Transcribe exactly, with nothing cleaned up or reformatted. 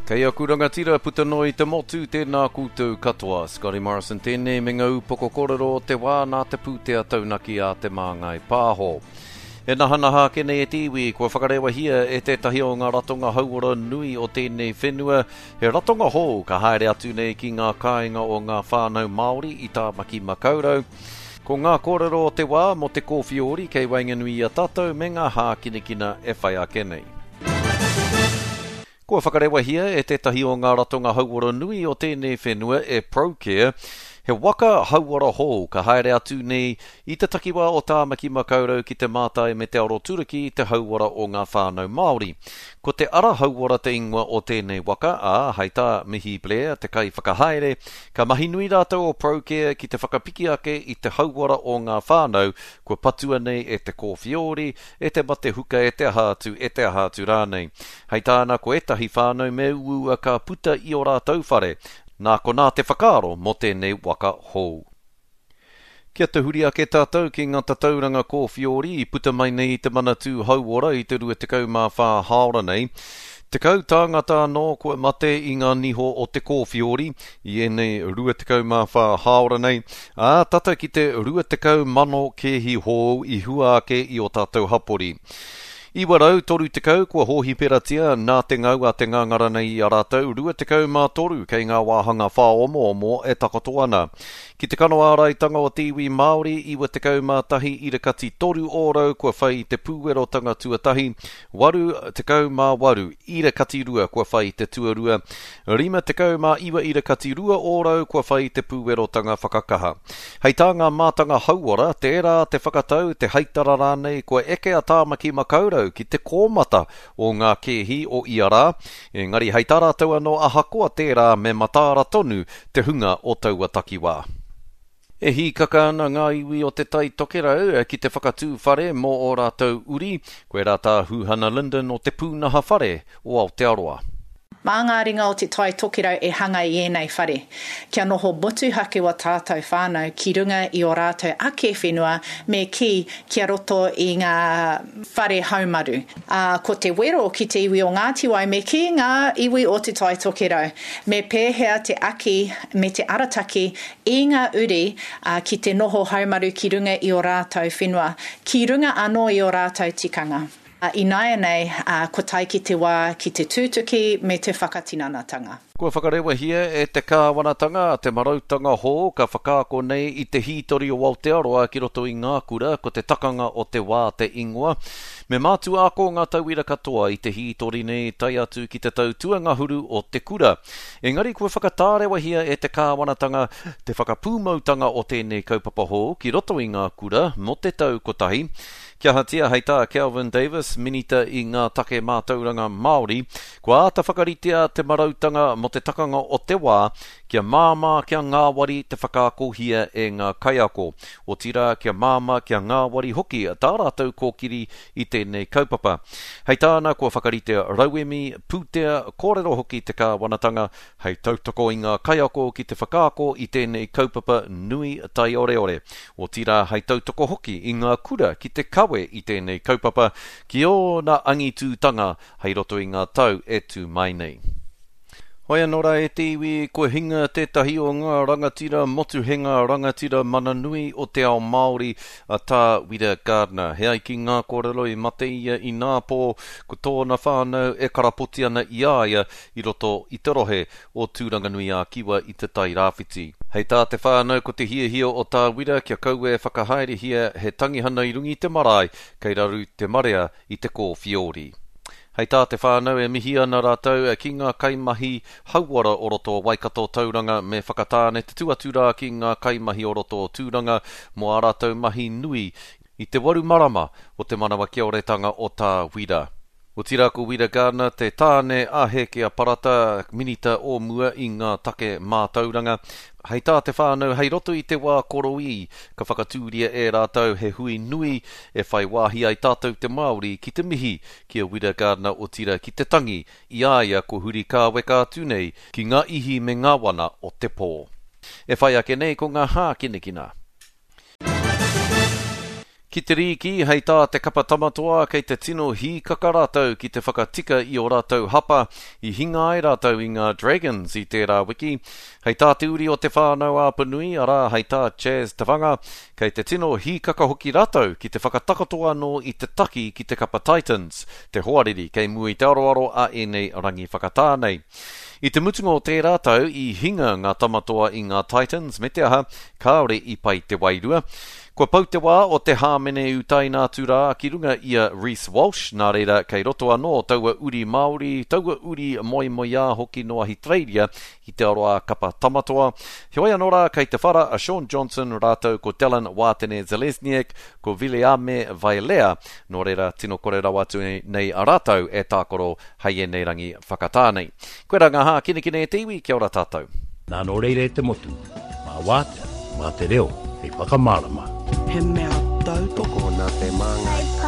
Kei aku rangatira puta noa i te motu, tēnā koutou katoa. Scotty Morrison tēnei me ngā upoko kōrero o te wā nā te pūtea taunaki a Te Māngai Pāho. E nahanaha ake nei e te iwi, kua whakarewahia e tētahi o ngā ratonga hauora nui o tēnei whenua, he ratonga hou ka haere atu nei ki ngā kāinga o ngā whānau Māori i Tāmaki Makaurau. Ko ngā kōrero o te wā mō te kōwhiori kei waenganui i a tātou me ngā hākinakina e whai ake nei. Kua whakarewahia e tētahi o ngā ratonga hauora nui o tēnei whenua e Procare, he waka hauora hou ka haere atu nei i te takiwā o Tāmaki Makaurau ki te mātai me te aroturuki i te hauora o ngā whānau Māori. Ko te Ara Hauora te ingoa o tēnei waka, ā, hei tā Mihi Blair, te kaiwhakahaere, ka mahi nui rātou o Procare ki te whakapiki ake i te hauora o ngā whānau kua patua nei e te kōwhiori, e te mate huka, e te aha atu, e te aha atu rānei. Hei tāna, ko ētahi whānau me uaua ka puta i ō rātou whare, nā konā te whakaaro mō tēnei waka hou. Kia tahuri ake tātou ki ngā tatauranga kōwhiori i puta mai nei i te Manatū Hauora i te rua tekau mā whā hāora nei. Tekau tāngata anō kua mate i ngā niho o te kōwhiori i ēnei rua tekau mā whā hāora nei, ā, tata ki te rua tekau mano kēhi hou i hua ake i ō tātou hapori. Iwa rau toru tekau kua hōhiperatia nā te ngau a te ngāngara nei i a rātou, rua tekau mā toru kei ngā wāhanga whāomoomo e takoto ana. Ki te kano āraitanga o te iwi Māori, iwa tekau mā tahi irakati toru ōrau kua whai i te pūwerotanga tuatahi, waru tekau mā waru irakati rua kua whai i te tuarua, rima tekau mā iwa irakati rua ōrau kua whai i te pūwerotanga whakakaha. Hei tā ngā mātanga hauora, tērā te whakatau, te haitara rānei kua eke a Tāmaki Makaurau ki te kōmata o ngā kēhi o ia rā, engari hei tā rātou anō ahakoa tērā me mataara tonu te hunga o taua takiwā. E hīkaka ana ngā iwi o te Tai Tokerau ki te whakatū whare mō ō rātou uri, koe rā tā Huhana Lyndon o te pūnaha whare o Aotearoa. Mā ngā ringa o te Tai Tokerau e hanga i ēnei whare, kia noho motuhake wa tātou whānau ki runga i ō rātou ake whenua me kī kia roto i ngā whare haumaru. Ā, ko te wero ki te iwi o Ngāti Wai me kī ngā iwi o te Tai Tokerau, me pēhea te aki me te arataki i ngā uri ā, ki te noho haumaru ki runga i ō rātou whenua, ki runga anō i ō rātou tikanga. Ināianei, ko tae ki te wā ki te tūtuki me te whakatinanatanga. Kua whakarewahia e te kāwanatanga te marautanga hou ka whakaako nei i te hītori o Aotearoa ki roto i ngā kura, ko te takanga o te wā te ingoa. Me mātua ako ngā tauira katoa i te hītori nei tae atu ki te tau tuangahuru o te kura. Engari kua whakatārewahia e te kāwanatanga te whakapūmautanga o tēnei kaupapa hou ki roto i ngā kura mō te tau kotahi. Kia ahatia hei tā Kelvin Davis, minita i ngā take mātauranga Māori, kua āta whakaritea te marautanga mō te takanga o te wā kia māmā kia ngāwari te whakaakohia e ngā kaiako. Otirā kia māmā kia ngāwari hoki tā rātou kōkiri i tēnei kaupapa. Hei tāna kua whakaritea rauemi, pūtea, kōrero hoki te kāwanatanga hei tautoko i ngā kaiako ki te whakaako i tēnei kaupapa nui taioreore. Otirā hei tautoko hoki i ngā kura ki te kawe i tēnei kaupapa ki ōna angitūtanga hei roto i ngā tau e tū mai nei. Hoi anō rā e te iwi, kua hinga tētahi o ngā rangatira motuhenga rangatira mana nui o te ao Māori a Tā Wira Gardiner. He ai ki ngā kōrero i mate ia i Nāpō, ko tōna whānau e karapoti ana i a ia i roto i te rohe o Tūranganui-ā-Kiwa i te Tai Rāwhiti. Hei tā te whānau ko te hiahia o Tā Wira kia kaua e whakahaerehia he tangihana i runga i te marae, kei raru te marea i te kōwhiori. Hei tā te whānau e mihi ana rātou ki ngā kaimahi hauora o roto o Waikato Tauranga me Whakatāne te tū atu rā ki ngā kaimahi o roto o Tūranga mō ā rātou mahi nui i te waru marama o te manawa kioretanga o Tā Wira. Otirā ko Wira Gardiner te tāne a Hēkea Parata, minita o mua i ngā take mātauranga. Hei tā te whānau, hei roto i te wā koroī, ka whakatūria e rātou he hui nui e whai wāhi ai tātou te Māori ki te mihi ki a Wira Gardiner otirā ki te tangi i a ia ko huri kāweka atu nei ki ngā ihi me ngā wana o te pō. E whai ake nei ko ngā hākinakina. Ki Ki te rīki, hei tā te kapa Tamatoa, kei te tino hīkaka rātou ki te whakatika i ō rātou hapa i hinga ai rātou i ngā Dragons i tērā wiki. Hei tā te uri o Te Whānau-a-Apanui, arā, hei tā Chaz Tavanga, kei te tino hīkaka hoki rātou ki te whakatakoto anō i te taki ki te kapa Titans, te hoariri kei mua i te aroaro a ēnei rangi whakatā nei. I te mutunga o tērā tau, i hinga ngā Tamatoa i ngā Titans, me te aha, kāore i pai te wairua. Kua pau te wā o te hāmene utaina atu rā ki runga i a Reece Walsh, nā reira kei roto anō taua uri Māori, taua uri moemoeā hoki nō Ahitereiria i te aroā kapa Tamatoa. Heoi anō rā kei te whara a Shaun Johnson rātou ko Dallin Watene-Zelezniak, ko Viliame Vailea, nō reira tino kore rawa atu nei a rātou e tākaro hei ēnei rangi whakatā nei. Koirā ngā hākinakina e te iwi, kia ora tātou. Nā nō reira e te motu, mā wātea, mā te reo, hei whakamārama. He mea tautoko Tokona te māngai.